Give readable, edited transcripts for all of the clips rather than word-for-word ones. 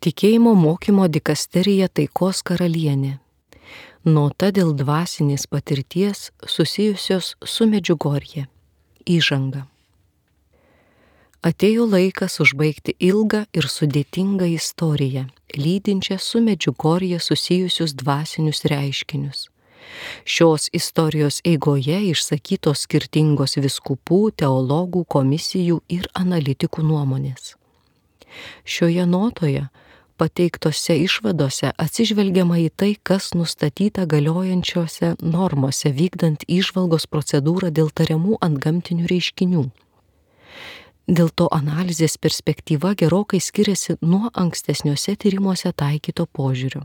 Tikėjimo mokymo dikasterija Taikos karalienė. Nota dėl dvasinės patirties susijusios su Medžiugorje. Įžanga. Atėjo laikas užbaigti ilgą ir sudėtingą istoriją, lydinčią su Medžiugorje susijusius dvasinius reiškinius. Šios istorijos eigoje išsakytos skirtingos vyskupų, teologų, komisijų ir analitikų nuomonės. Šioje notoje pateiktose išvadose atsižvelgiama į tai, kas nustatyta galiojančiose normose vykdant įžvalgos procedūrą dėl tariamų antgamtinių reiškinių. Dėl to analizės perspektyva gerokai skiriasi nuo ankstesniuose tyrimuose taikyto požiūrio.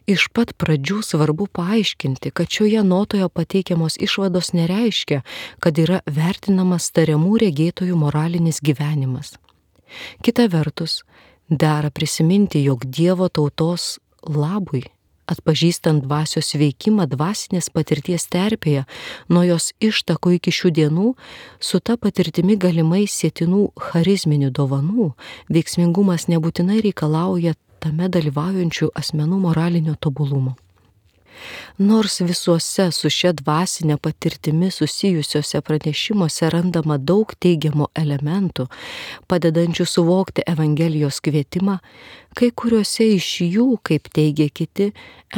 Iš pat pradžių svarbu paaiškinti, kad šioje notoje pateikiamos išvados nereiškia, kad yra vertinamas tariamų regėtojų moralinis gyvenimas. Kita vertus, dera prisiminti, jog Dievo tautos labui, atpažįstant dvasios veikimą dvasinės patirties terpėje, nuo jos ištakų iki šių dienų, su ta patirtimi galimai sietinų charizminių dovanų, veiksmingumas nebūtinai reikalauja tame dalyvaujančių asmenų moralinio tobulumo. Nors visuose su šia dvasinė patirtimi susijusiuose pranešimuose randama daug teigiamų elementų, padedančių suvokti Evangelijos kvietimą, kai kuriuose iš jų, kaip teigia kiti,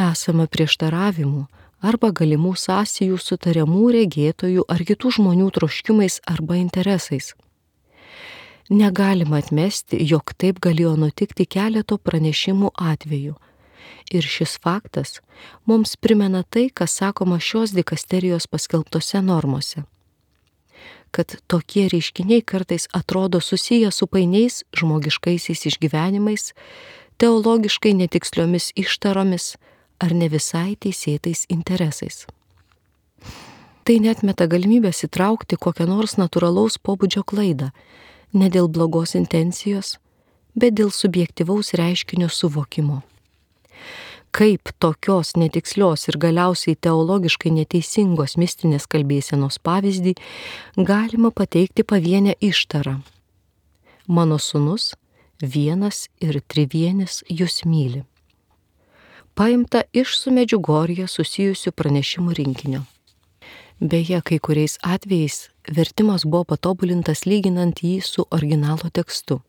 esama prieštaravimų arba galimų sąsajų su tariamų regėtojų ar kitų žmonių troškimais arba interesais. Negalima atmesti, jog taip galėjo nutikti keleto pranešimų atveju. Ir šis faktas mums primena tai, kas sakoma šios dikasterijos paskelbtose normose. Kad tokie reiškiniai kartais atrodo susiję su painiais žmogiškaisiais išgyvenimais, teologiškai netiksliomis ištaromis ar ne visai teisėtais interesais. Tai neatmeta galimybės įtraukti kokią nors natūralaus pobūdžio klaidą, ne dėl blogos intencijos, bet dėl subjektyvaus reiškinio suvokimo. Kaip tokios netikslios ir galiausiai teologiškai neteisingos mistinės kalbėsenos pavyzdį galima pateikti pavienę ištarą. Mano sūnus, vienas ir trivienis jus myli. Paimta iš su Medžiugorje susijusių pranešimų rinkinio. Beje, kai kuriais atvejais vertimas buvo patobulintas lyginant jį su originalo tekstu.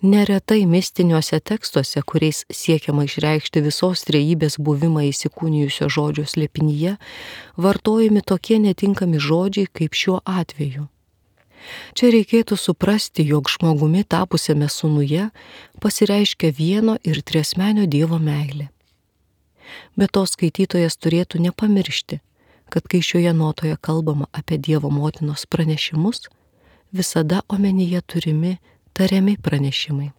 Neretai mistiniuose tekstuose, kuriais siekiama išreikšti visos trejybės buvimą įsikūnijusio žodžio slėpinyje, vartojami tokie netinkami žodžiai kaip šiuo atveju. Čia reikėtų suprasti, jog žmogumi tapusiame sūnuje pasireiškia vieno ir triasmenio Dievo meilė. Be to skaitytojas turėtų nepamiršti, kad kai šioje notoje kalbama apie Dievo motinos pranešimus, visada omenyje turimi tariami pranešimai.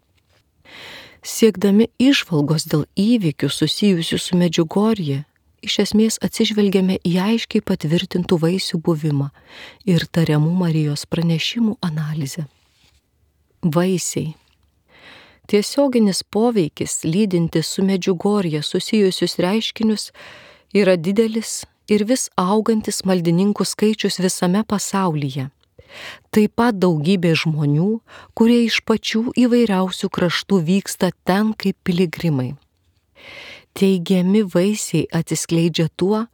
Siekdami įžvalgos dėl įvykių susijusių su Medžiugorje, iš esmės atsižvelgiame į aiškiai patvirtintų vaisių buvimą ir tariamų Marijos pranešimų analizę. Vaisiai. Tiesioginis poveikis lydintis su Medžiugorje susijusius reiškinius yra didelis ir vis augantis maldininkų skaičius visame pasaulyje. Taip pat daugybė žmonių, kurie iš pačių įvairiausių kraštų vyksta ten kaip piligrimai. Teigiami vaisiai atsiskleidžia tuo,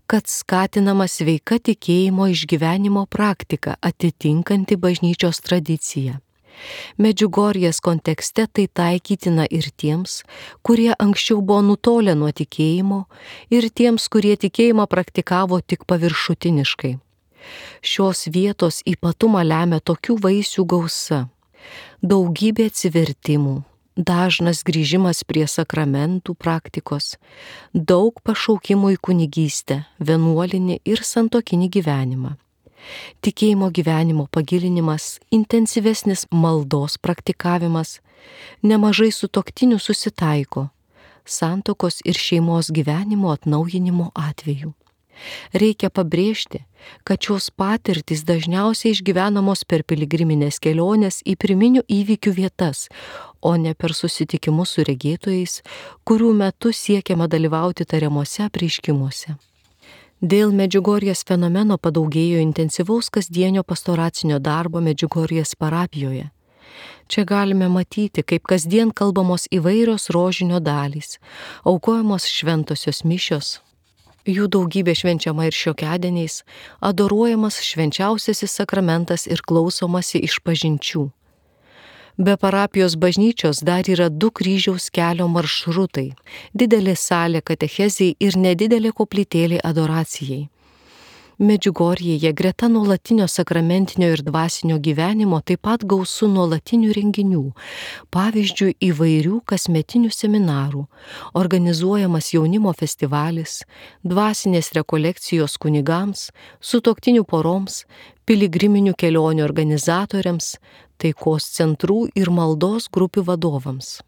kad skatinama sveika tikėjimo išgyvenimo praktika atitinkanti bažnyčios tradiciją. Medžiugorjės kontekste tai taikytina ir tiems, kurie anksčiau buvo nutolę nuo tikėjimo, ir tiems, kurie tikėjimą praktikavo tik paviršutiniškai. Šios vietos ypatumą lemia tokių vaisių gausa, daugybė atsivertimų, dažnas grįžimas prie sakramentų praktikos, daug pašaukimų į kunigystę, vienuolinį ir santuokinį gyvenimą. Tikėjimo gyvenimo pagilinimas, intensyvesnis maldos praktikavimas, nemažai sutuoktinių susitaiko, santuokos ir šeimos gyvenimo atnaujinimo atveju. Reikia pabrėžti, kad šios patirtys dažniausiai išgyvenamos per piligriminės keliones į pirminių įvykių vietas, o ne per susitikimus su regėtojais, kurių metu siekiama dalyvauti tariamuose apreiškimuose. Dėl Medžiugorjės fenomeno padaugėjo intensyvaus kasdienio pastoracinio darbo Medžiugorjės parapijoje. Čia galime matyti, kaip kasdien kalbamos įvairios rožinio dalys, aukojamos šventosios mišios. Jų daugybė švenčiama ir šiokiadieniais, adoruojamas švenčiausiasis sakramentas ir klausomasi išpažinčių. Be parapijos bažnyčios dar yra 2 kryžiaus kelio maršrutai, didelė salė katechezijai ir nedidelė koplytėlė adoracijai. Medžiugorjėje greta nuolatinio sakramentinio ir dvasinio gyvenimo taip pat gausu nuolatinių renginių, pavyzdžiui įvairių kasmetinių seminarų, organizuojamas jaunimo festivalis, dvasinės rekolekcijos kunigams, sutuoktinių poroms, piligriminių kelionių organizatoriams, taikos centrų ir maldos grupių vadovams.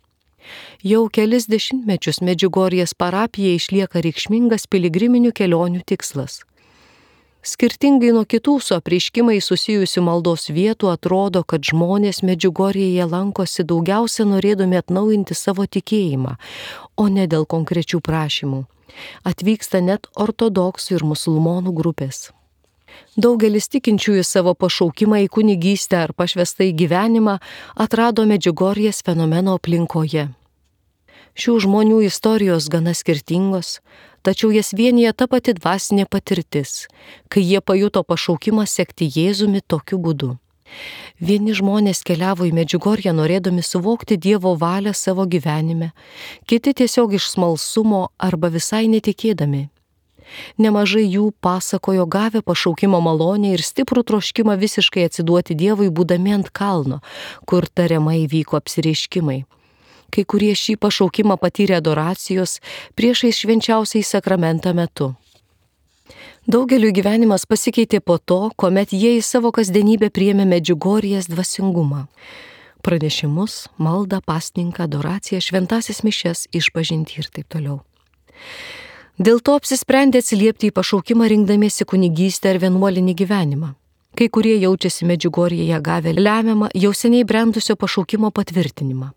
Jau kelis dešimtmečius Medžiugorjės parapijai išlieka reikšmingas piligriminių kelionių tikslas. Skirtingai nuo kitų su apreiškimai susijusių maldos vietų atrodo, kad žmonės Medžiugorjėje lankosi daugiausia norėdami atnaujinti savo tikėjimą, o ne dėl konkrečių prašymų. Atvyksta net ortodoksų ir musulmonų grupės. Daugelis tikinčiųjų savo pašaukimą į kunigystę ar pašvestą į gyvenimą atrado Medžiugorjės fenomeno aplinkoje. Šių žmonių istorijos gana skirtingos, tačiau jas vienija ta pati dvasinė patirtis, kai jie pajuto pašaukimą sekti Jėzumi tokiu būdu. Vieni žmonės keliavo į Medžiugorję norėdami suvokti Dievo valią savo gyvenime, kiti tiesiog iš smalsumo arba visai netikėdami. Nemažai jų pasakojo gavę pašaukimo malonę ir stiprų troškimą visiškai atsiduoti Dievui būdami ant kalno, kur tariamai vyko apsireiškimai. Kai kurie šį pašaukimą patyrė adoracijos priešais švenčiausiai sakramentą metu. Daugeliui gyvenimas pasikeitė po to, kuomet jie į savo kasdienybę priėmė Medžiugorjės dvasingumą. Pranešimus, maldą, pasninką, adoraciją, šventąsias mišias, išpažintį ir taip toliau. Dėl to apsisprendė atsiliepti į pašaukimą rinkdamiesi kunigystę ar vienuolinį gyvenimą. Kai kurie jaučiasi Medžiugorjėje gavę lemiamą, jau seniai brendusio pašaukimo patvirtinimą.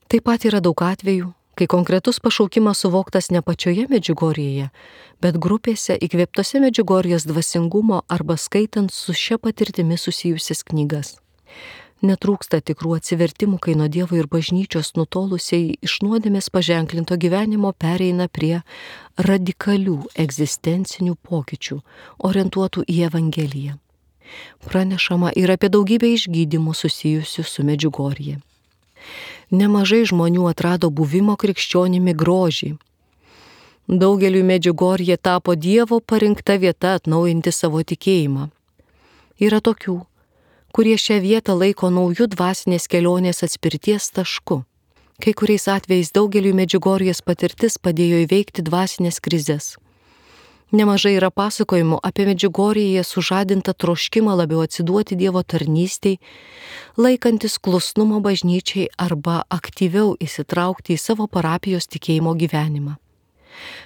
Taip pat yra daug atvejų, kai konkretus pašaukimas suvoktas ne pačioje Medžiugorjėje, bet grupėse įkvėptose Medžiugorjės dvasingumo arba skaitant su šia patirtimi susijusias knygas. Netrūksta tikrų atsivertimų, kai nuo Dievo ir bažnyčios nutolusiai iš nuodėmės paženklinto gyvenimo pereina prie radikalių egzistencinių pokyčių, orientuotų į Evangeliją. Pranešama ir apie daugybę išgydymų susijusių su Medžiugorje. Nemažai žmonių atrado buvimo krikščionimi grožį. Daugeliui Medžiugorjė tapo Dievo parinkta vieta atnaujinti savo tikėjimą. Yra tokių, kurie šią vietą laiko naujų dvasinės kelionės atspirties tašku. Kai kuriais atvejais daugeliui Medžiugorjės patirtis padėjo įveikti dvasinės krizes. Nemažai yra pasakojimų apie Medžiugorjėje sužadintą troškimą labiau atsiduoti Dievo tarnystei, laikantis klusnumo bažnyčiai arba aktyviau įsitraukti į savo parapijos tikėjimo gyvenimą.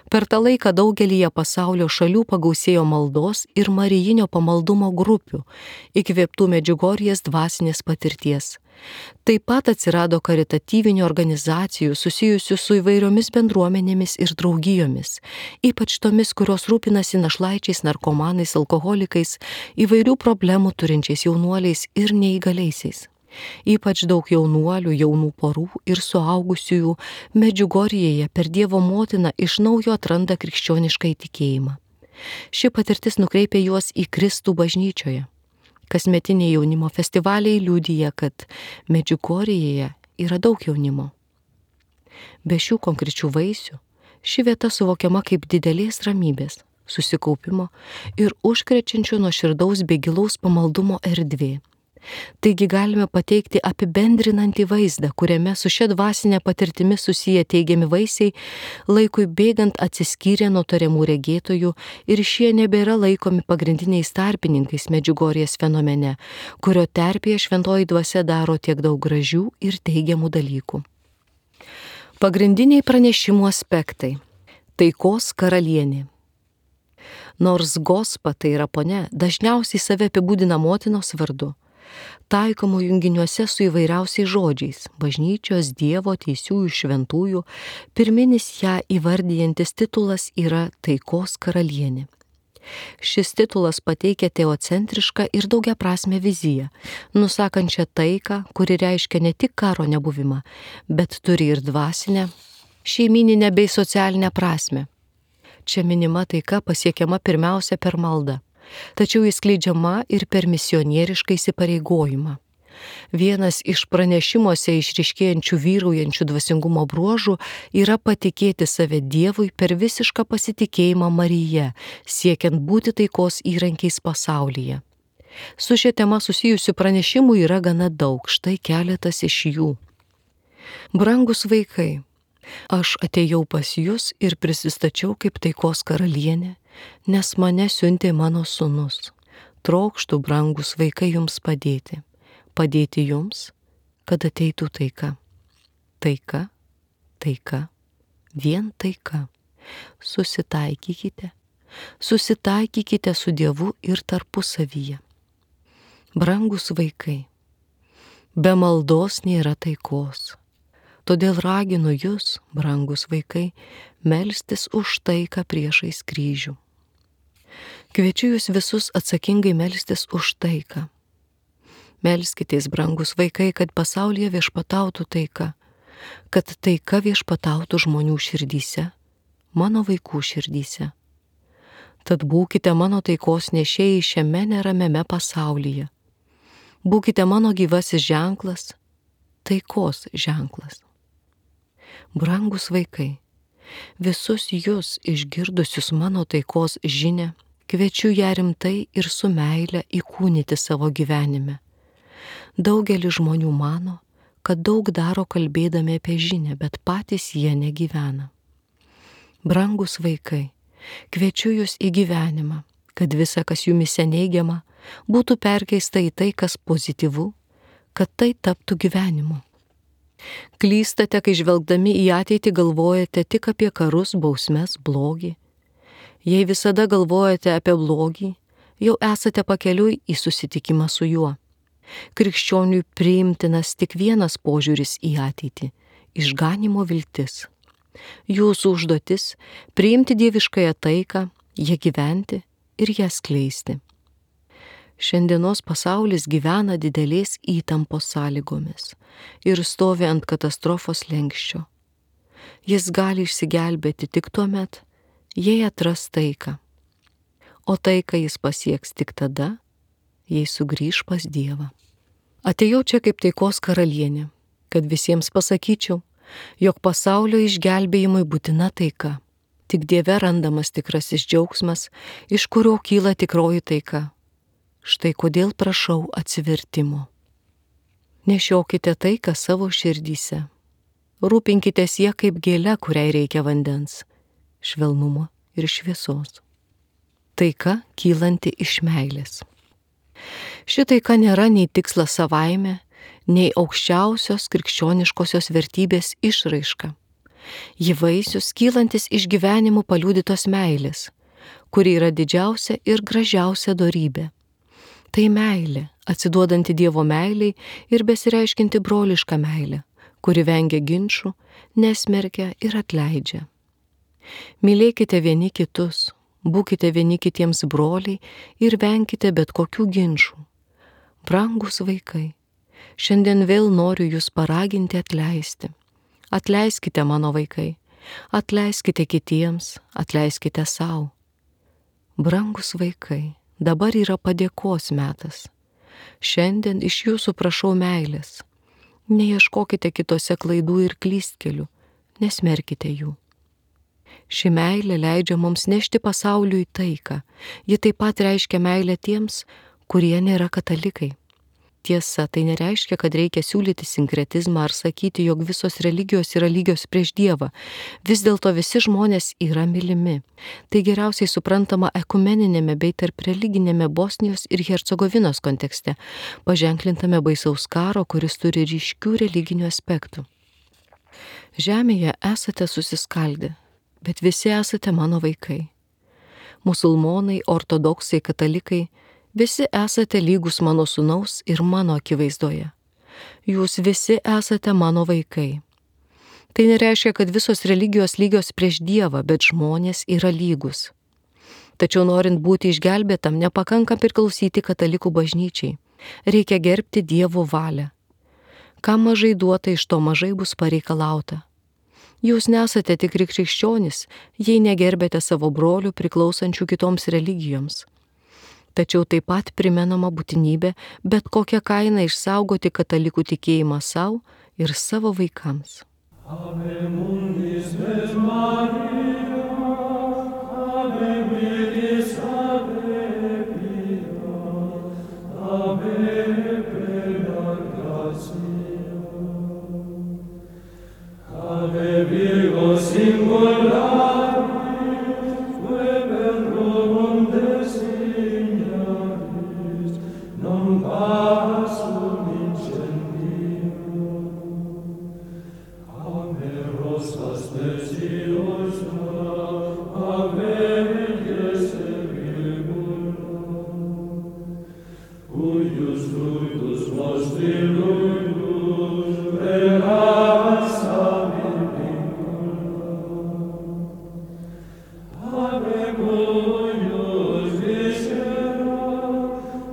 Per tą laiką daugelyje pasaulio šalių pagausėjo maldos ir marijinio pamaldumo grupių, įkvėptų Medžiugorjės dvasinės patirties. Taip pat atsirado karitatyvinių organizacijų susijusių su įvairiomis bendruomenėmis ir draugijomis, ypač tomis, kurios rūpinasi našlaičiais, narkomanais, alkoholikais, įvairių problemų turinčiais jaunuoliais ir neįgaliaisiais. Ypač daug jaunuolių, jaunų porų ir suaugusiųjų Medžiugorjėje per Dievo motiną iš naujo atranda krikščionišką įtikėjimą. Ši patirtis nukreipia juos į Kristų bažnyčioje. Kasmetiniai jaunimo festivaliai liudija, kad Medžiugorjėje yra daug jaunimo. Be šių konkrečių vaisių, ši vieta suvokiama kaip didelės ramybės, susikaupimo ir užkrečiančio nuoširdaus bei gilaus pamaldumo erdvė. Taigi galime pateikti apibendrinantį vaizdą, kuriame su šia dvasinė patirtimi susiję teigiami vaisiai laikui bėgant atsiskyrė nuo tariamų regėtojų ir šie nebėra laikomi pagrindiniais tarpininkais Medžiugorjės fenomene, kurio terpėje šventoji dvasia daro tiek daug gražių ir teigiamų dalykų. Pagrindiniai pranešimų aspektai. Taikos karalienė. Nors Gospa, tai yra ponia, dažniausiai save apibūdina motinos vardu, taikomų junginiuose su įvairiausiais žodžiais - bažnyčios, Dievo, teisiųjų, šventųjų, pirminis ją įvardijantis titulas yra taikos karalienė. Šis titulas pateikia teocentrišką ir daugiaprasmę viziją, nusakančią taiką, kuri reiškia ne tik karo nebuvimą, bet turi ir dvasinę, šeimyninę bei socialinę prasmę. Čia minima taika pasiekiama pirmiausia per maldą, tačiau įskleidžiama ir per misionierišką įsipareigojimą. Vienas iš pranešimuose išryškėjančių vyraujančių dvasingumo bruožų yra patikėti save Dievui per visišką pasitikėjimą Marija, siekiant būti taikos įrankiais pasaulyje. Su šia tema susijusių pranešimų yra gana daug, štai keletas iš jų. Brangus vaikai, aš atėjau pas jūs ir prisistačiau kaip taikos karalienė, nes mane siuntė mano sūnus. Trokštu, brangus vaikai, jums padėti. Padėti jums, kad ateitų taika. Taika, taika, vien taika. Susitaikykite su Dievu ir tarpusavyje. Brangus vaikai, be maldos nėra taikos. Todėl raginu jūs, brangus vaikai, melstis už taiką priešais kryžių. Kviečiu jūs visus atsakingai melstis už taiką. Melskitės, brangus vaikai, kad pasaulyje viešpatautų taika, kad taika viešpatautų žmonių širdyse, mano vaikų širdyse. Tad būkite mano taikos nešėjai šiame neramiame pasaulyje. Būkite mano gyvasis ženklas, taikos ženklas. Brangus vaikai, visus jūs išgirdusius mano taikos žinią, kviečiu ją rimtai ir su meile įkūnyti savo gyvenime. Daugelis žmonių mano, kad daug daro kalbėdami apie žinią, bet patys jie negyvena. Brangus vaikai, kviečiu jūs į gyvenimą, kad visa, kas jumise neigiama, būtų perkeista į tai, kas pozityvu, kad tai taptų gyvenimu. Klystate, kai žvelgdami į ateitį galvojate tik apie karus, bausmes, blogį. Jei visada galvojate apie blogį, jau esate pakeliui į susitikimą su juo. Krikščioniui priimtinas tik vienas požiūris į ateitį – išganymo viltis. Jūsų užduotis – priimti dieviškąją taiką, ją gyventi ir ją skleisti. Šiandienos pasaulis gyvena didelės įtampos sąlygomis ir stovi ant katastrofos slenksčio. Jis gali išsigelbėti tik tuomet, jei atras taiką. O taiką jis pasieks tik tada, jei sugrįš pas Dievą. Atėjau čia kaip taikos karalienė, kad visiems pasakyčiau, jog pasaulio išgelbėjimui būtina taika. Tik Dieve randamas tikrasis džiaugsmas, iš kurio kyla tikroji taika. Štai kodėl prašau atsivertimo. Nešiokite taiką savo širdyse. Rūpinkitės ją kaip gėle, kuriai reikia vandens, švelnumo ir šviesos. Taika kylanti iš meilės. Ši taika nėra nei tikslas savaime, nei aukščiausios krikščioniškosios vertybės išraiška. Ji vaisius kylantis iš gyvenimų paliudytos meilės, kuri yra didžiausia ir gražiausia dorybė. Tai meilė, atsiduodanti Dievo meiliai ir besireiškinti brolišką meilę, kuri vengia ginčų, nesmerkia ir atleidžia. Mylėkite vieni kitus, būkite vieni kitiems broliai ir venkite bet kokių ginčų. Brangus vaikai, šiandien vėl noriu jūs paraginti atleisti. Atleiskite, mano vaikai, atleiskite kitiems, atleiskite sau. Brangus vaikai, dabar yra padėkos metas. Šiandien iš jūsų prašau meilės. Neieškokite kitose klaidų ir klystkelių, nesmerkite jų. Ši meilė leidžia mums nešti pasauliui taiką. Ji taip pat reiškia meilę tiems, kurie nėra katalikai. Tiesa, tai nereiškia, kad reikia siūlyti sinkretizmą ar sakyti, jog visos religijos yra lygios prieš Dievą. Vis dėlto visi žmonės yra mylimi. Tai geriausiai suprantama ekumeninėme bei tarp religinėme Bosnijos ir Hercegovinos kontekste, paženklintame baisaus karo, kuris turi ryškių religinių aspektų. Žemėje esate susiskaldę, bet visi esate mano vaikai. Musulmonai, ortodoksai, katalikai, visi esate lygus mano sūnaus ir mano akivaizdoje. Jūs visi esate mano vaikai. Tai nereiškia, kad visos religijos lygios prieš Dievą, bet žmonės yra lygus. Tačiau norint būti išgelbėtam, nepakanka priklausyti katalikų bažnyčiai. Reikia gerbti Dievo valią. Kam mažai duota, iš to mažai bus pareikalauta. Jūs nesate tikri krikščionys, jei negerbėte savo brolių priklausančių kitoms religijoms. Tačiau taip pat primenama būtinybė bet kokią kainą išsaugoti katalikų tikėjimą savo ir savo vaikams. Ave mundis ves Maria, ave virgis, ave pia, ave plena gratia, ave Virgo singulari, verbum designaris, non passum incendium. Ave rosas speciosa, ave diese virgula, cuius fructus nostri luidus, regas amin vincula. Ave cuius viscera,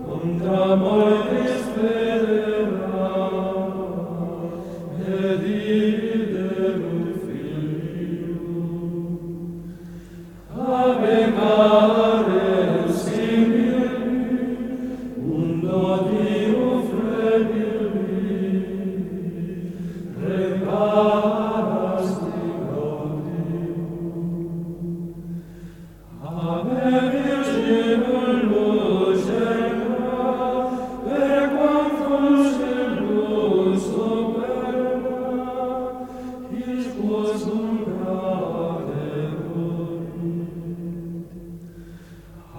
contra mortis federa, et idem filium. Ave care simili, undo Dio frebili, reparasti gaudium. Ave virginum lucera, per quam fulgibus superna, isquos nunca deruit.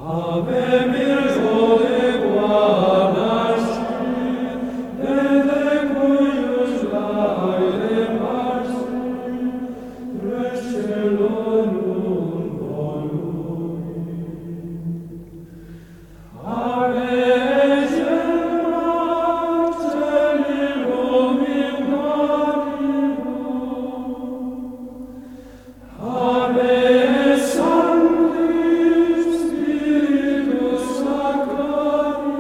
Ave Virgo equanascit, et equius laeremas, recelonum voluit. Ave Gemma celibum ignoribus, Ave Sancti Spiritus Sacrarum,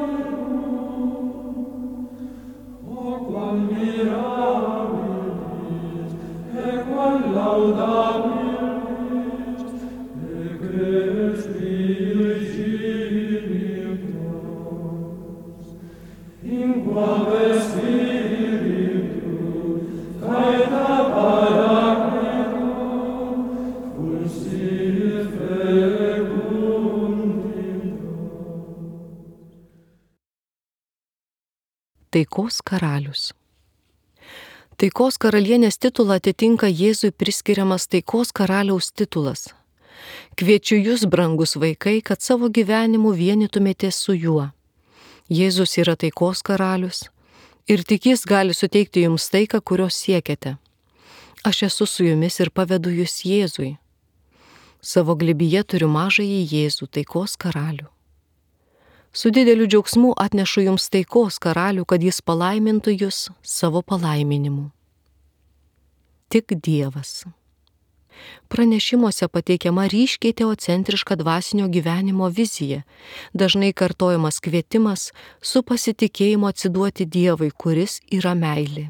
o quam mirabilis, e quam laudabilis, egregius dignitas, in quam Spiritu caeta Paracletum, fulsit fecunditas. Taikos karalius. Taikos karalienės titulą atitinka Jėzui priskiriamas taikos karaliaus titulas. Kviečiu jūs, brangus vaikai, kad savo gyvenimu vienytumėtės su juo. Jėzus yra taikos karalius ir tik jis gali suteikti jums taiką, kurios siekiate. Aš esu su jumis ir pavedu jūs Jėzui. Savo glėbyje turiu mažąjį Jėzų, taikos karalių. Su dideliu džiaugsmu atnešu jums taikos karalių, kad jis palaimintų jūs savo palaiminimu. Tik Dievas. Pranešimuose pateikiama ryškiai teocentriška dvasinio gyvenimo vizija, dažnai kartojamas kvietimas su pasitikėjimu atsiduoti Dievui, kuris yra meilė.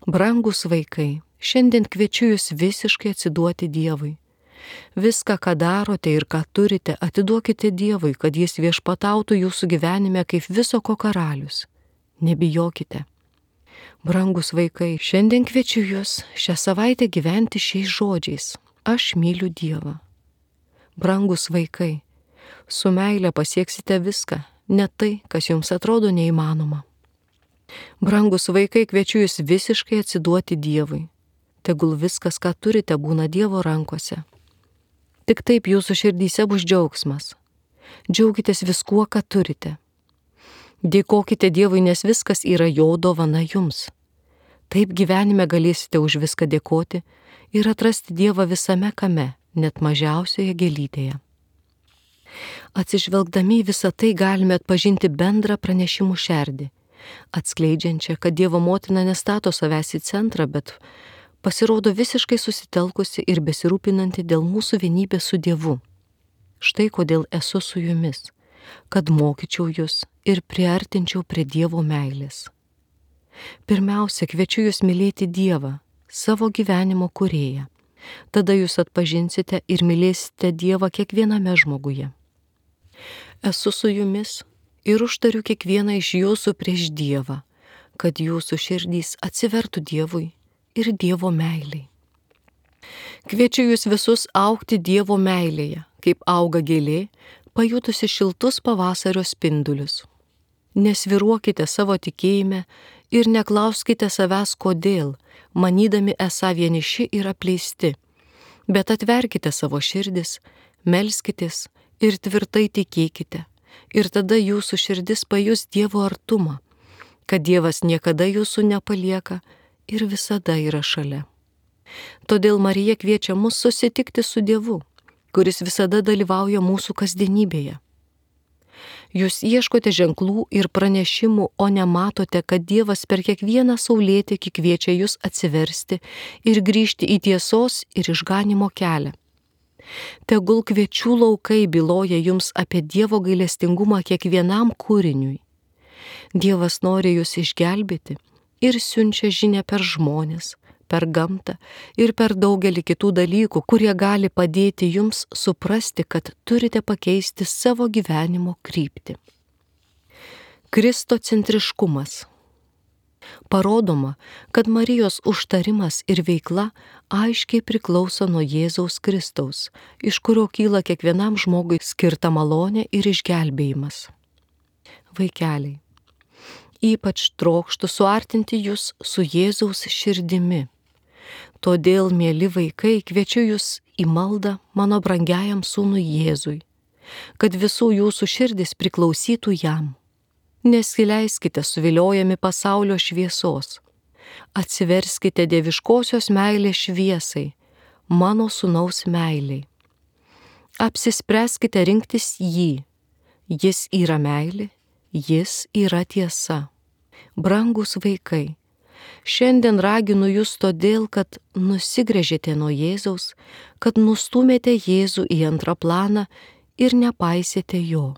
Brangus vaikai, šiandien kviečiu jūs visiškai atsiduoti Dievui. Viską, ką darote ir ką turite, atiduokite Dievui, kad jis viešpatautų jūsų gyvenime kaip viso ko karalius. Nebijokite. Brangus vaikai, šiandien kviečiu jūs šią savaitę gyventi šiais žodžiais. Aš myliu Dievą. Brangus vaikai, su meile pasieksite viską, net tai, kas jums atrodo neįmanoma. Brangus vaikai, kviečiu jūs visiškai atsiduoti Dievui. Tegul viskas, ką turite, būna Dievo rankose. Tik taip jūsų širdyse bus džiaugsmas. Džiaukitės viskuo, ką turite. Dėkokite Dievui, nes viskas yra jo dovana jums. Taip gyvenime galėsite už viską dėkoti ir atrasti Dievą visame kame, net mažiausioje gėlytėje. Atsižvelgdami į visą tai galime atpažinti bendrą pranešimų šerdį, atskleidžiančią, kad Dievo motina nestato savęs į centrą, bet pasirodo visiškai susitelkusi ir besirūpinanti dėl mūsų vienybės su Dievu. Štai kodėl esu su jumis, kad mokyčiau jūs ir priartinčiau prie Dievo meilės. Pirmiausia, kviečiu jūs mylėti Dievą, savo gyvenimo kūrėją. Tada jūs atpažinsite ir mylėsite Dievą kiekviename žmoguje. Esu su jumis ir užtariu kiekvieną iš jūsų prieš Dievą, kad jūsų širdys atsivertų Dievui ir Dievo meiliai. Kviečiu jūs visus augti Dievo meilėje, kaip auga gėlė, pajutusi šiltus pavasario spindulius. Nesviruokite savo tikėjime ir neklauskite savęs kodėl, manydami esą vieniši ir apleisti, bet atverkite savo širdis, melskitės ir tvirtai tikėkite, ir tada jūsų širdis pajus Dievo artumą, kad Dievas niekada jūsų nepalieka ir visada yra šalia. Todėl Marija kviečia mus susitikti su Dievu, kuris visada dalyvauja mūsų kasdienybėje. Jūs ieškote ženklų ir pranešimų, o nematote, kad Dievas per kiekvieną saulėtekį kviečia jūs atsiversti ir grįžti į tiesos ir išganimo kelią. Tegul kviečių laukai byloja jums apie Dievo gailestingumą kiekvienam kūriniui. Dievas nori jūs išgelbėti ir siunčia žinią per žmones, per gamtą ir per daugelį kitų dalykų, kurie gali padėti jums suprasti, kad turite pakeisti savo gyvenimo kryptį. Kristocentriškumas. Parodoma, kad Marijos užtarimas ir veikla aiškiai priklauso nuo Jėzaus Kristaus, iš kurio kyla kiekvienam žmogui skirta malonė ir išgelbėjimas. Vaikeliai, ypač trokštu suartinti jūs su Jėzaus širdimi. Todėl, mieli vaikai, kviečiu jūs į maldą mano brangiajam sūnui Jėzui, kad visų jūsų širdis priklausytų jam. Nesileiskite suviliojami pasaulio šviesos. Atsiverskite dieviškosios meilės šviesai, mano sūnaus meiliai. Apsispręskite rinktis jį. Jis yra meilė, jis yra tiesa. Brangūs vaikai, šiandien raginu jūs todėl, kad nusigręžėte nuo Jėzaus, kad nustūmėte Jėzų į antrą planą ir nepaisėte jo.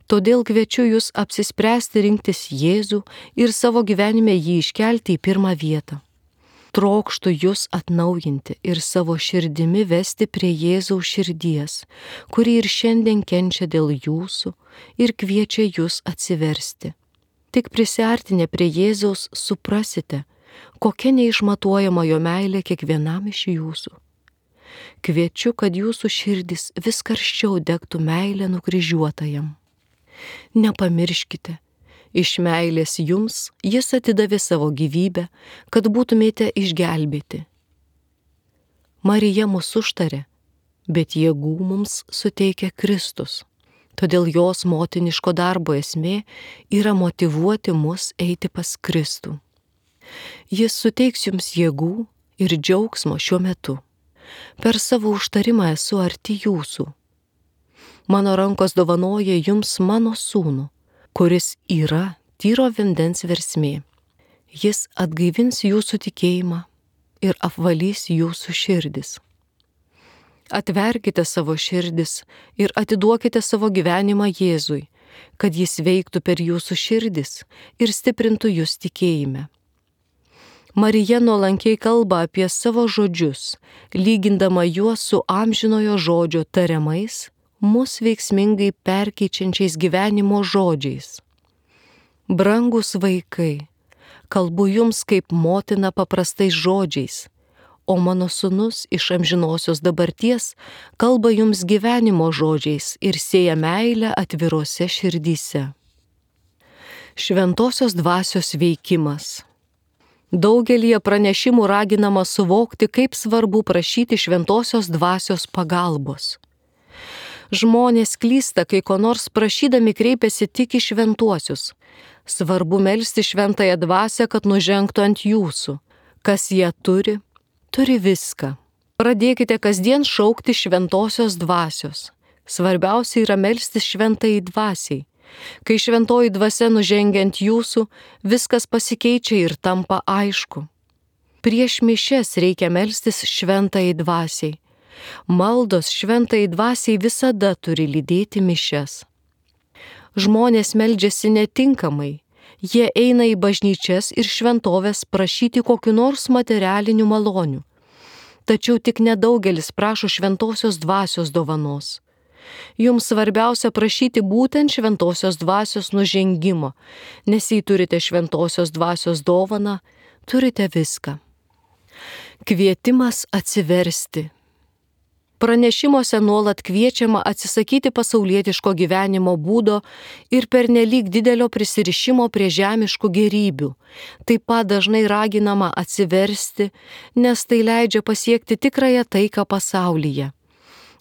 Todėl kviečiu jūs apsispręsti rinktis Jėzų ir savo gyvenime jį iškelti į pirmą vietą. Trokštu jūs atnaujinti ir savo širdimi vesti prie Jėzaus širdies, kuri ir šiandien kenčia dėl jūsų ir kviečia jūs atsiversti. Tik prisiartinę prie Jėzaus suprasite, kokia neišmatuojama jo meilė kiekvienam iš jūsų. Kviečiu, kad jūsų širdis vis karščiau degtų meilė nukryžiuotajam. Nepamirškite, iš meilės jums jis atidavė savo gyvybę, kad būtumėte išgelbėti. Marija mus užtarė, bet jėgų mums suteikia Kristus. Todėl jos motiniško darbo esmė yra motyvuoti mus eiti pas Kristų. Jis suteiks jums jėgų ir džiaugsmo šiuo metu. Per savo užtarimą esu arti jūsų. Mano rankos dovanoja jums mano sūnų, kuris yra tyro vandens versmė. Jis atgaivins jūsų tikėjimą ir apvalys jūsų širdis. Atverkite savo širdis ir atiduokite savo gyvenimą Jėzui, kad jis veiktų per jūsų širdis ir stiprintų jūs tikėjime. Marija nuolankiai kalba apie savo žodžius, lygindama juos su amžinojo žodžio tariamais, mus veiksmingai perkeičiančiais gyvenimo žodžiais. Brangūs vaikai, kalbu jums kaip motina paprastais žodžiais, o mano sūnus iš amžinosios dabarties kalba jums gyvenimo žodžiais ir sėja meilę atvirose širdyse. Šventosios dvasios veikimas. Daugelį pranešimų raginama suvokti, kaip svarbu prašyti šventosios dvasios pagalbos. Žmonės klysta, kai ko nors prašydami kreipiasi tik į šventuosius. Svarbu melsti šventąją dvasią, kad nužengtų ant jūsų. Kas ją turi, turi viską. Pradėkite kasdien šaukti šventosios dvasios. Svarbiausia yra melstis šventai dvasiai. Kai šventoji dvasia nužengia ant jūsų, viskas pasikeičia ir tampa aišku. Prieš mišias reikia melstis šventai dvasiai. Maldos šventai dvasiai visada turi lydėti mišias. Žmonės meldžiasi netinkamai. Jie eina į bažnyčias ir šventovės prašyti kokiu nors materialinių malonių. Tačiau tik nedaugelis prašo šventosios dvasios dovanos. Jums svarbiausia prašyti būtent šventosios dvasios nužengimo, nes jei turite šventosios dvasios dovaną, turite viską. Kvietimas atsiversti. Pranešimuose nuolat kviečiama atsisakyti pasaulietiško gyvenimo būdo ir pernelyg didelio prisirišimo prie žemiškų gėrybių. Taip pat dažnai raginama atsiversti, nes tai leidžia pasiekti tikrąją taiką pasaulyje.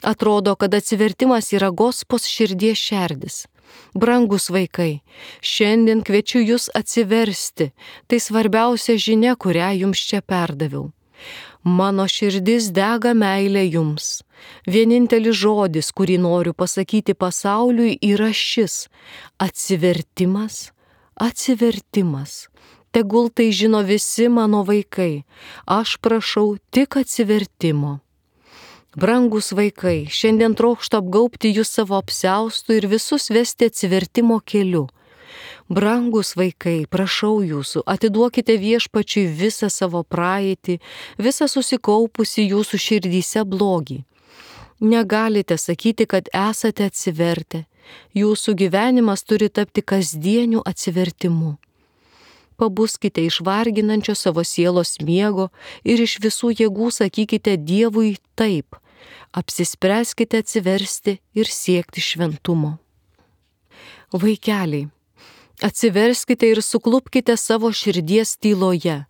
Atrodo, kad atsivertimas yra Gospos širdies šerdis. Brangus vaikai, šiandien kviečiu jūs atsiversti. Tai svarbiausia žinia, kurią jums čia perdaviau. Mano širdis dega meilė jums. Vienintelis žodis, kurį noriu pasakyti pasauliui, yra šis – atsivertimas, atsivertimas. Tegul tai žino visi mano vaikai. Aš prašau tik atsivertimo. Brangus vaikai, šiandien trokštu apgaubti jūs savo apsiaustu ir visus vesti atsivertimo keliu. Brangus vaikai, prašau jūsų, atiduokite Viešpačiui visą savo praeitį, visą susikaupusi jūsų širdyse blogį. Negalite sakyti, kad esate atsivertę. Jūsų gyvenimas turi tapti kasdieniu atsivertimu. Pabuskite iš varginančio savo sielos miego ir iš visų jėgų sakykite Dievui taip. Apsispręskite atsiversti ir siekti šventumo. Vaikeliai, atsiverskite ir suklupkite savo širdies tyloje,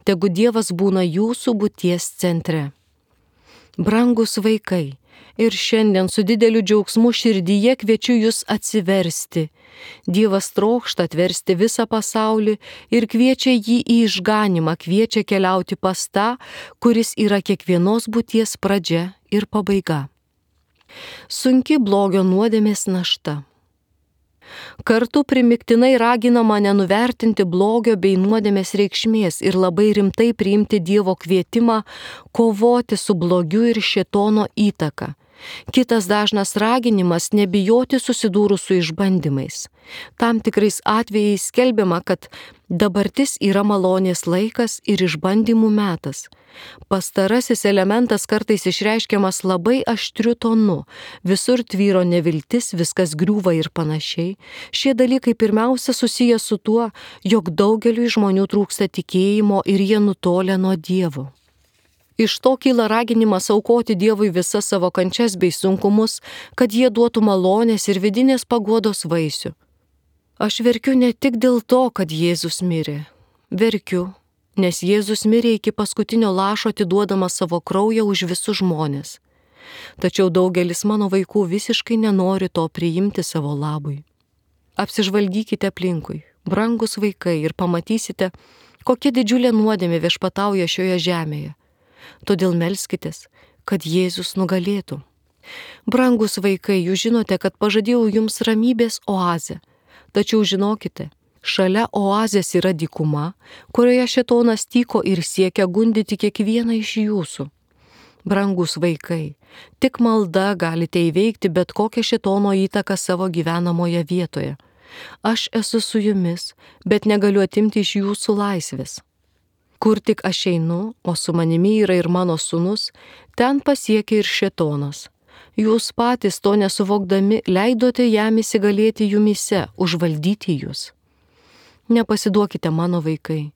tegu Dievas būna jūsų būties centre. Brangus vaikai, ir šiandien su dideliu džiaugsmu širdyje kviečiu jūs atsiversti. Dievas trokšta atversti visą pasaulį ir kviečia jį į išganymą, kviečia keliauti pas tą, kuris yra kiekvienos būties pradžia ir pabaiga. Sunki blogio nuodėmės našta. Kartu primiktinai raginama nenuvertinti blogio bei nuodėmės reikšmės ir labai rimtai priimti Dievo kvietimą kovoti su blogiu ir šėtono įtaka. Kitas dažnas raginimas – nebijoti susidūrus su išbandymais. Tam tikrais atvejais skelbiama, kad dabartis yra malonės laikas ir išbandymų metas. Pastarasis elementas kartais išreiškiamas labai aštriu tonu, visur tvyro neviltis, viskas griūva ir panašiai. Šie dalykai pirmiausia susiję su tuo, jog daugeliui žmonių trūksta tikėjimo ir jie nutolę nuo Dievo. Iš to kyla raginimas aukoti Dievui visas savo kančias bei sunkumus, kad jie duotų malonės ir vidinės paguodos vaisių. Aš verkiu ne tik dėl to, kad Jėzus mirė. Verkiu, nes Jėzus mirė iki paskutinio lašo atiduodamas savo kraują už visus žmones. Tačiau daugelis mano vaikų visiškai nenori to priimti savo labui. Apsižvalgykite aplinkui, brangus vaikai, ir pamatysite, kokia didžiulė nuodėmė viešpatauja šioje žemėje. Todėl melskitės, kad Jėzus nugalėtų. Brangus vaikai, jūs žinote, kad pažadėjau jums ramybės oazę. Tačiau žinokite, šalia oazės yra dykuma, kurioje šėtonas tyko ir siekia gundyti kiekvieną iš jūsų. Brangus vaikai, tik malda galite įveikti bet kokią šėtono įtaką savo gyvenamoje vietoje. Aš esu su jumis, bet negaliu atimti iš jūsų laisvės. Kur tik aš einu, o su manimi yra ir mano sūnus, ten pasiekia ir šėtonas. Jūs patys to nesuvokdami leidote jam įsigalėti jumyse, užvaldyti jūs. Nepasiduokite mano vaikai.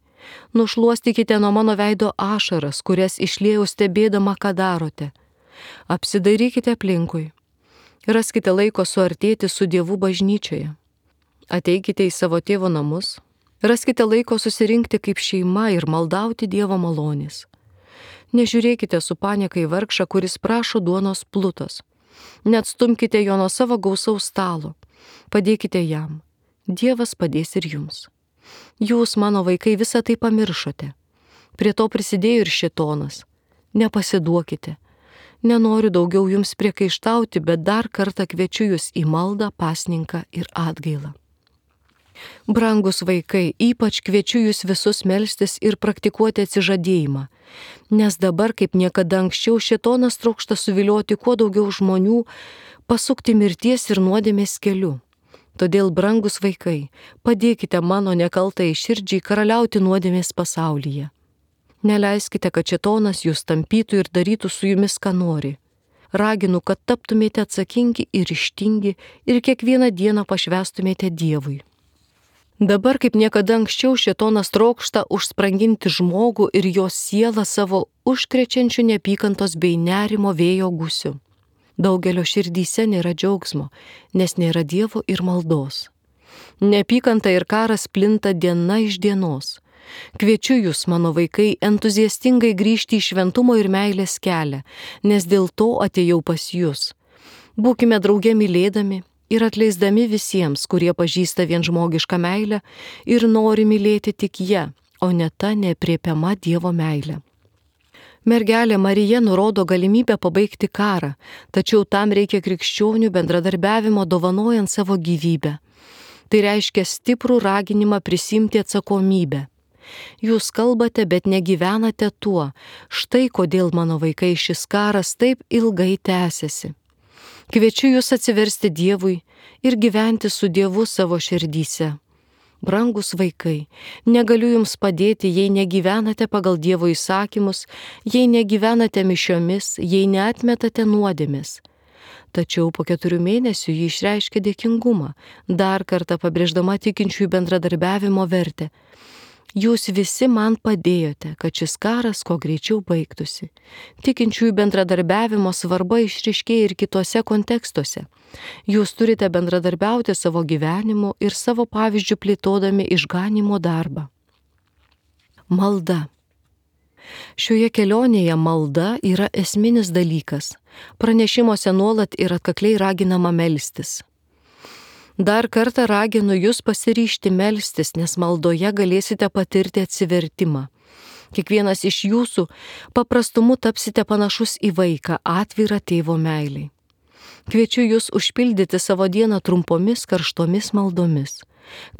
Nušluostykite nuo mano veido ašaras, kurias išliejau stebėdama, ką darote. Apsidairykite aplinkui. Raskite laiko suartėti su Dievu bažnyčioje. Ateikite į savo tėvo namus. Raskite laiko susirinkti kaip šeima ir maldauti Dievo malonės. Nežiūrėkite su panieka į vargšą, kuris prašo duonos plutos. Neatstumkite jo nuo savo gausaus stalo. Padėkite jam. Dievas padės ir jums. Jūs, mano vaikai, visą tai pamiršote. Prie to prisidėjo ir šėtonas. Nepasiduokite. Nenoriu daugiau jums priekaištauti, bet dar kartą kviečiu jūs į maldą, pasninką ir atgailą. Brangus vaikai, ypač kviečiu jūs visus melstis ir praktikuoti atsižadėjimą, nes dabar kaip niekada anksčiau šėtonas trokšta suvilioti kuo daugiau žmonių, pasukti mirties ir nuodėmės keliu. Todėl, brangus vaikai, padėkite mano nekaltai širdžiai karaliauti nuodėmės pasaulyje. Neleiskite, kad šėtonas jūs tampytų ir darytų su jumis, ką nori. Raginu, kad taptumėte atsakingi ir ryžtingi ir kiekvieną dieną pašvęstumėte Dievui. Dabar kaip niekada anksčiau šėtonas trokšta užspranginti žmogų ir jo sielą savo užkrečiančių neapykantos bei nerimo vėjo gūsiu. Daugelio širdyse nėra džiaugsmo, nes nėra Dievo ir maldos. Neapykanta ir karas plinta diena iš dienos. Kviečiu jūs, mano vaikai, entuziastingai grįžti į šventumo ir meilės kelią, nes dėl to atėjau pas jūs. Būkime drauge mylėdami ir atleisdami visiems, kurie pažįsta vien žmogišką meilę ir nori mylėti tik ją, o ne ta neaprėpiama Dievo meilė. Mergelė Marija nurodo galimybę pabaigti karą, tačiau tam reikia krikščionių bendradarbiavimo dovanojant savo gyvybę. Tai reiškia stiprų raginimą prisimti atsakomybę. Jūs kalbate, bet negyvenate tuo. Štai kodėl, mano vaikai, šis karas taip ilgai tęsiasi. Kviečiu jūs atsiversti Dievui ir gyventi su Dievu savo širdyse. Brangus vaikai, negaliu jums padėti, jei negyvenate pagal Dievo įsakymus, jei negyvenate mišiomis, jei neatmetate nuodėmės. Tačiau po 4 mėnesių ji išreiškė dėkingumą, dar kartą pabrėždama tikinčiųjų bendradarbiavimo vertę. Jūs visi man padėjote, kad šis karas kuo greičiau baigtųsi. Tikinčiųjų bendradarbiavimo svarba išryškėja ir kitose kontekstuose. Jūs turite bendradarbiauti savo gyvenimu ir savo pavyzdžių plėtodami išganymo darbą. Malda. Šioje kelionėje malda yra esminis dalykas. Pranešimuose nuolat ir atkakliai raginama melstis. Dar kartą raginu jūs pasiryžti melstis, nes maldoje galėsite patirti atsivertimą. Kiekvienas iš jūsų paprastumu tapsite panašus į vaiką, atvirą tėvo meiliai. Kviečiu jūs užpildyti savo dieną trumpomis karštomis maldomis.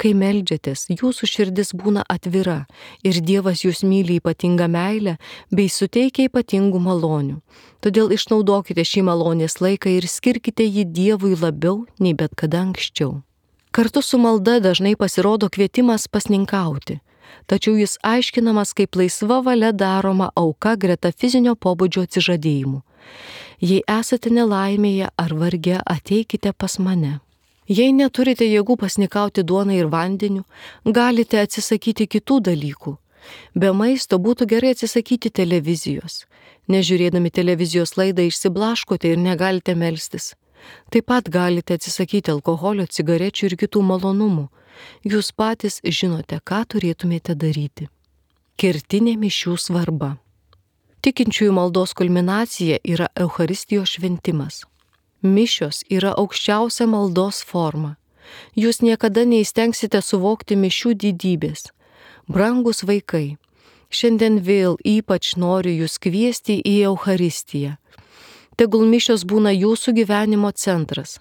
Kai meldžiatės, jūsų širdis būna atvira ir Dievas jūs myli ypatingą meilę bei suteikia ypatingų malonių. Todėl išnaudokite šį malonės laiką ir skirkite jį Dievui labiau nei bet kada anksčiau. Kartu su malda dažnai pasirodo kvietimas pasninkauti, tačiau jis aiškinamas kaip laisva valia daroma auka greta fizinio pobūdžio atsižadėjimų. Jei esate nelaimėje ar varge, ateikite pas mane. Jei neturite jėgų pasnikauti duoną ir vandeniu, galite atsisakyti kitų dalykų. Be maisto būtų gerai atsisakyti televizijos. Nežiūrėdami televizijos laidą išsiblaškote ir negalite melstis. Taip pat galite atsisakyti alkoholio, cigarečių ir kitų malonumų. Jūs patys žinote, ką turėtumėte daryti. Kertinė mišių svarba. Tikinčiųjų maldos kulminacija yra Eucharistijos šventimas. Mišios yra aukščiausia maldos forma. Jūs niekada neįstengsite suvokti mišių didybės. Brangus vaikai, šiandien vėl ypač noriu jūs kviesti į Eucharistiją. Tegul mišios būna jūsų gyvenimo centras.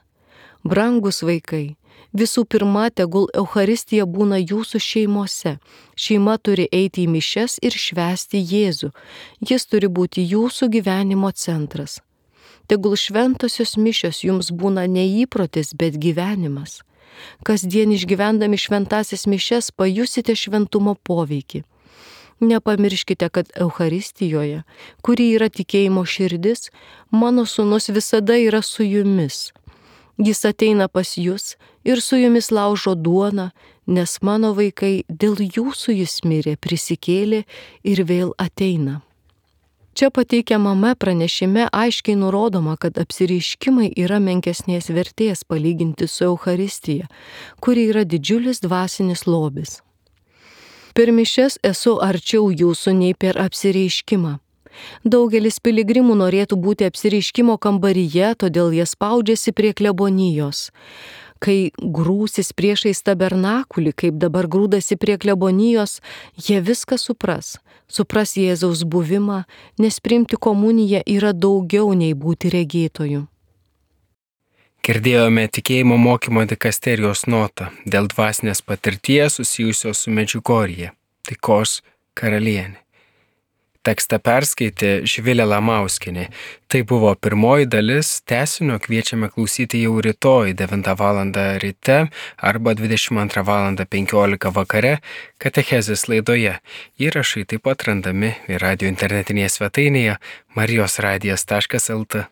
Brangus vaikai, visų pirma, tegul Eucharistija būna jūsų šeimose. Šeima turi eiti į mišias ir švęsti Jėzų. Jis turi būti jūsų gyvenimo centras. Tegul šventosios mišios jums būna ne įprotis, bet gyvenimas. Kasdien išgyvendami šventasias mišias pajusite šventumo poveikį. Nepamirškite, kad Eucharistijoje, kuri yra tikėjimo širdis, mano sūnus visada yra su jumis. Jis ateina pas jūs ir su jumis laužo duoną, nes mano vaikai dėl jūsų jis mirė, prisikėlė ir vėl ateina. Čia pateikiamame pranešime aiškiai nurodoma, kad apsireiškimai yra menkesnės vertės palyginti su Eucharistija, kuri yra didžiulis dvasinis lobis. Per mišias esu arčiau jūsų nei per apsireiškimą. Daugelis piligrimų norėtų būti apsireiškimo kambaryje, todėl jie spaudžiasi prie klebonijos. Kai grūsis priešais tabernakulį, kaip dabar grūdasi prie klebonijos, jie viską supras. Supras Jėzaus buvimą, nes priimti komuniją yra daugiau nei būti regėtoju. Girdėjome tikėjimo mokymo dikasterijos notą dėl dvasinės patirties susijusios su Medžiugorje, taikos karalienė. Tekstą perskaitė Živilė Lamauskienė. Tai buvo pirmoji dalis, tęsinio kviečiame klausyti jau rytoj 9 val. Ryte arba 22 val. 15 vakare katechezės laidoje. Įrašai taip pat randami ir radio internetinėje svetainėje marijosradijas.lt.